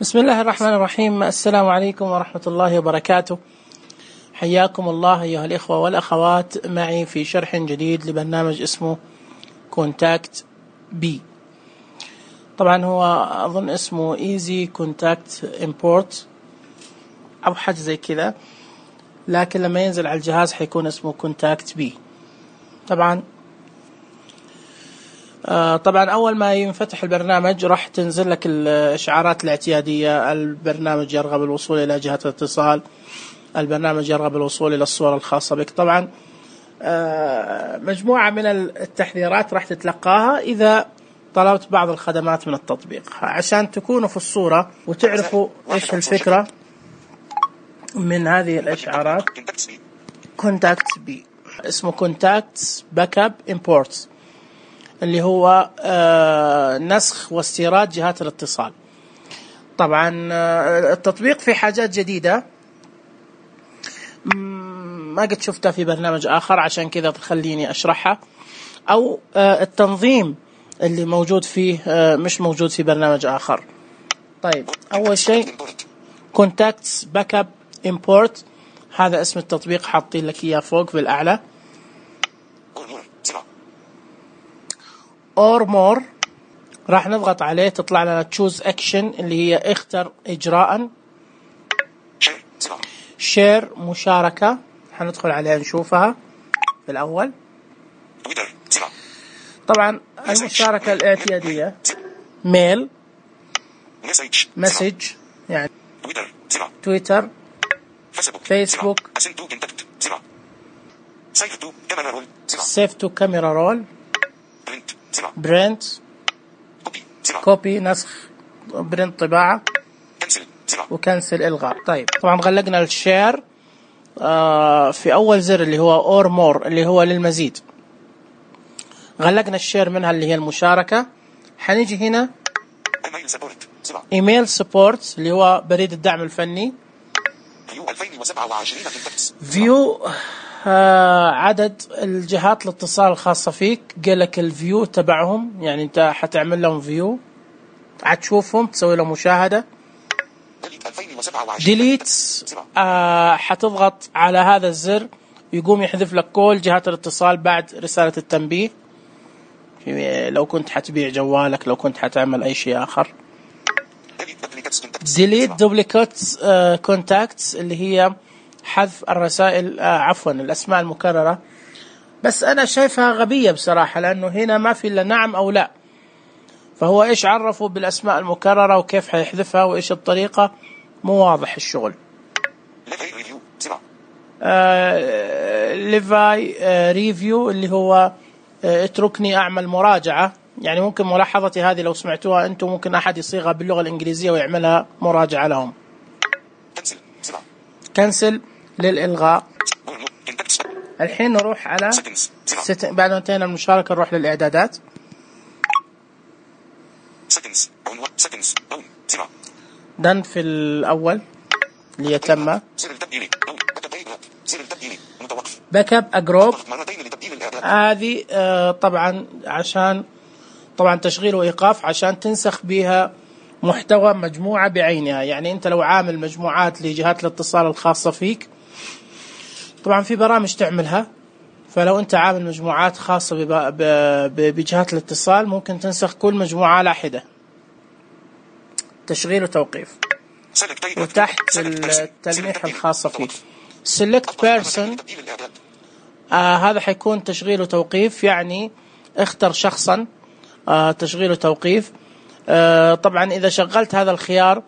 بسم الله الرحمن الرحيم. السلام عليكم ورحمة الله وبركاته. حياكم الله أيها الإخوة والأخوات معي في شرح جديد لبرنامج اسمه كونتاكت بي. طبعا هو أظن اسمه Easy Contact Import أو حاجة زي كذا، لكن لما ينزل على الجهاز حيكون اسمه كونتاكت بي. طبعا أول ما ينفتح البرنامج راح تنزل لك الإشعارات الاعتيادية. البرنامج يرغب الوصول إلى جهة الاتصال، البرنامج يرغب الوصول إلى الصورة الخاصة بك. طبعا مجموعة من التحذيرات راح تتلقاها إذا طلبت بعض الخدمات من التطبيق. عشان تكونوا في الصورة وتعرفوا إيش الفكرة من هذه الإشعارات، كونتاكت بي اسمه كونتاكت باك اب امبورت، اللي هو نسخ واستيراد جهات الاتصال. طبعا التطبيق في حاجات جديدة ما قد شفتها في برنامج آخر، عشان كذا خليني أشرحها. أو التنظيم اللي موجود فيه مش موجود في برنامج آخر. طيب، أول شيء كونتاكتس باك اب امبورت، هذا اسم التطبيق، حاطين لك إياه فوق في الأعلى. or more راح نضغط عليه، تطلع لنا choose action اللي هي اختر إجراء. share مشاركة، حندخل عليها نشوفها في الأول. طبعا المشاركة الاعتيادية ميل، مسج يعني تويتر، فيسبوك، سيف تو كاميرا رول، برنت كوبي نسخ، برنت طباعة، وكنسل إلغاء. طيب، طبعا غلقنا الشير في أول زر اللي هو اور مور اللي هو للمزيد. غلقنا الشير منها اللي هي المشاركة. حنيجي هنا ايميل سبورت اللي هو بريد الدعم الفني. فيو عدد الجهات الاتصال الخاصة فيك، قال لك الفيو تبعهم، يعني انت حتعمل لهم فيو، حتشوفهم، تسوي لهم مشاهدة. ديليت حتضغط على هذا الزر يقوم يحذف لك كل جهات الاتصال بعد رسالة التنبيه، لو كنت حتبيع جوالك، لو كنت حتعمل أي شيء آخر. ديليت دوبليكات كونتاكتس اللي هي حذف الرسائل، عفوا الأسماء المكررة. بس أنا شايفها غبية بصراحة، لأنه هنا ما في إلا نعم أو لا، فهو إيش عرفوا بالأسماء المكررة وكيف حيحذفها وإيش الطريقة، مو واضح الشغل. ليفاي ريفيو اللي هو اتركني أعمل مراجعة، يعني ممكن ملاحظتي هذه لو سمعتوها أنتم ممكن أحد يصيغها باللغة الإنجليزية ويعملها مراجعة لهم. كنسل للإلغاء. الحين نروح على بعد ما انتهينا من المشاركة نروح للإعدادات. دن في الأول اللي يتم باك اب أجروب، هذه طبعا عشان طبعا تشغيل وإيقاف، عشان تنسخ بها محتوى مجموعة بعينها. يعني أنت لو عامل مجموعات لجهات الاتصال الخاصة فيك، طبعا في برامج تعملها، فلو أنت عامل مجموعات خاصة بجهات الاتصال ممكن تنسخ كل مجموعة على حدة. تشغيل وتوقيف. وتحت التلميح الخاصة فيك select person، هذا حيكون تشغيل وتوقيف، يعني اختر شخصا، تشغيل وتوقيف. طبعا إذا شغلت هذا الخيار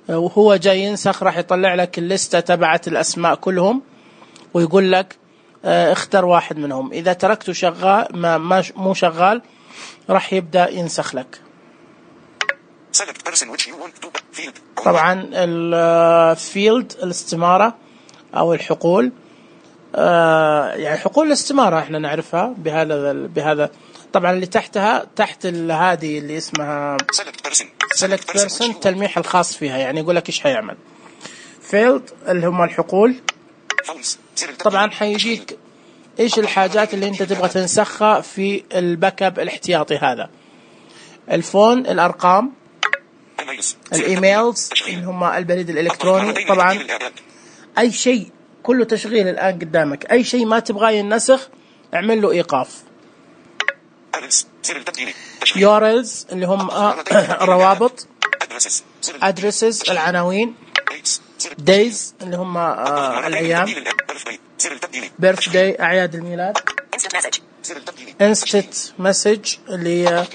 وهو جاي ينسخ راح يطلع لك الليستة تبعت الأسماء كلهم ويقول لك اختر واحد منهم. إذا تركته شغال مو شغال راح يبدأ ينسخ لك. طبعا الفيلد الاستمارة أو الحقول، يعني حقول الاستمارة احنا نعرفها بهذا. طبعا اللي تحتها تحت هذه اللي اسمها select person التلميح الخاص فيها، يعني يقول لك ايش حيعمل. فيلد اللي هم الحقول. طبعا حيجيك ايش الحاجات اللي انت تبغى تنسخها في الباك اب الاحتياطي هذا. الفون، الارقام، الإيميلز اللي هم البريد الإلكتروني. طبعا أي شيء كله تشغيل الآن قدامك، أي شيء ما تبغاه ينسخ اعمل له إيقاف. URLs اللي هم الروابط، addresses العناوين، days اللي هم الأيام، birthday أعياد الميلاد، instant message اللي هي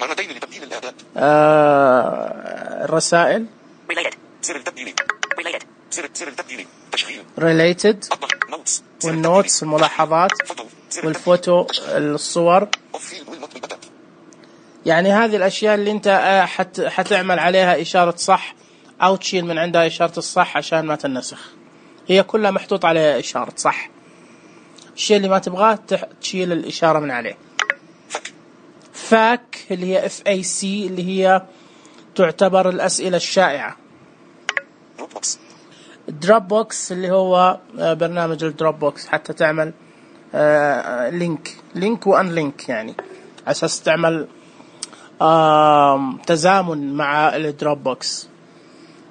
الرسائل، related والنوتس الملاحظات والفوتو الصور. يعني هذه الأشياء اللي أنت حتعمل عليها إشارة صح أو تشيل من عندها إشارة الصح عشان ما تنسخ، هي كلها محطوط عليها إشارة صح. الشيء اللي ما تبغاه تشيل الإشارة من عليه. فاك اللي هي FAC اللي هي تعتبر الأسئلة الشائعة. دروب بوكس اللي هو برنامج الدروب بوكس، حتى تعمل لينك وان لينك، يعني على أساس تعمل تزامن مع الدروب بوكس.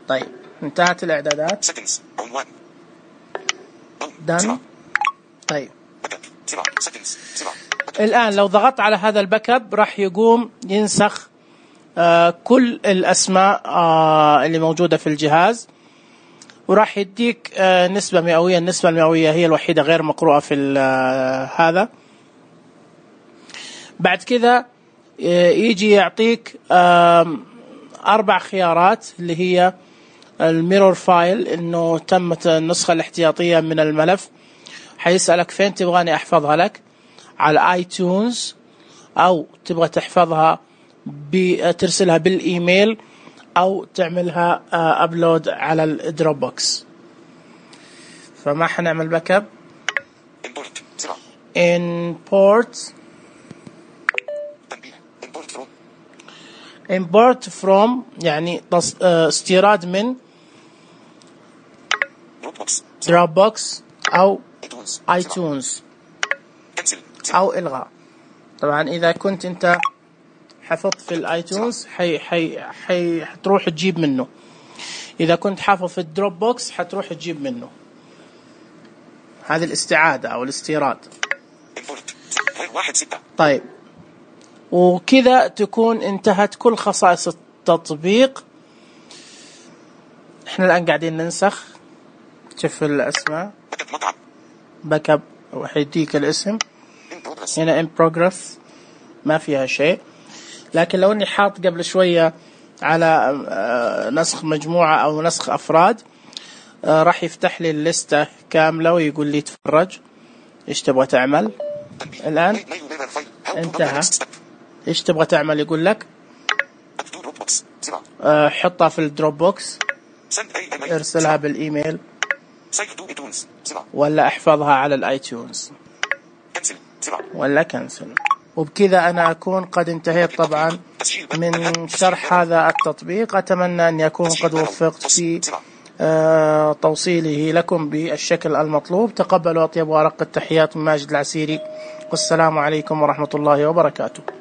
طيب انتهت الإعدادات. done. طيب الآن لو ضغطت على هذا الباك اب راح يقوم ينسخ كل الأسماء اللي موجودة في الجهاز، وراح يديك نسبة مئوية. النسبة المئوية هي الوحيدة غير مقروءة في هذا. بعد كذا يجي يعطيك 4 خيارات اللي هي الميرور فايل، انه تمت النسخة الاحتياطية من الملف. حيسألك فين تبغاني احفظها لك، على ايتونز او تبغى تحفظها ترسلها بالايميل او تعملها ابلود على الدروب بوكس. فما حنعمل باك اب. import from يعني استيراد من Dropbox أو iTunes أو إلغاء. طبعا إذا كنت أنت حفظت في الآيتونز حتروح تجيب منه، إذا كنت حافظ في الدروب بوكس حتروح تجيب منه. هذه الاستعادة أو الاستيراد. طيب وكذا تكون انتهت كل خصائص التطبيق. احنا الآن قاعدين ننسخ. شوف الأسماء، باك اب وحيديك الاسم هنا in progress ما فيها شيء. لكن لو اني حاط قبل شوية على نسخ مجموعة أو نسخ أفراد راح يفتح لي الليستة كاملة ويقول لي تفرج إيش تبغى تعمل. الآن انتهى. إيش تبغى تعمل؟ يقول لك حطها في الدروب بوكس، ارسلها بالإيميل، ولا احفظها على الآيتونز، ولا كنسل. وبكذا أنا أكون قد انتهيت طبعا من شرح هذا التطبيق. أتمنى أن يكون قد وفقت في توصيله لكم بالشكل المطلوب. تقبلوا أطيب وأرق التحيات من ماجد العسيري، والسلام عليكم ورحمة الله وبركاته.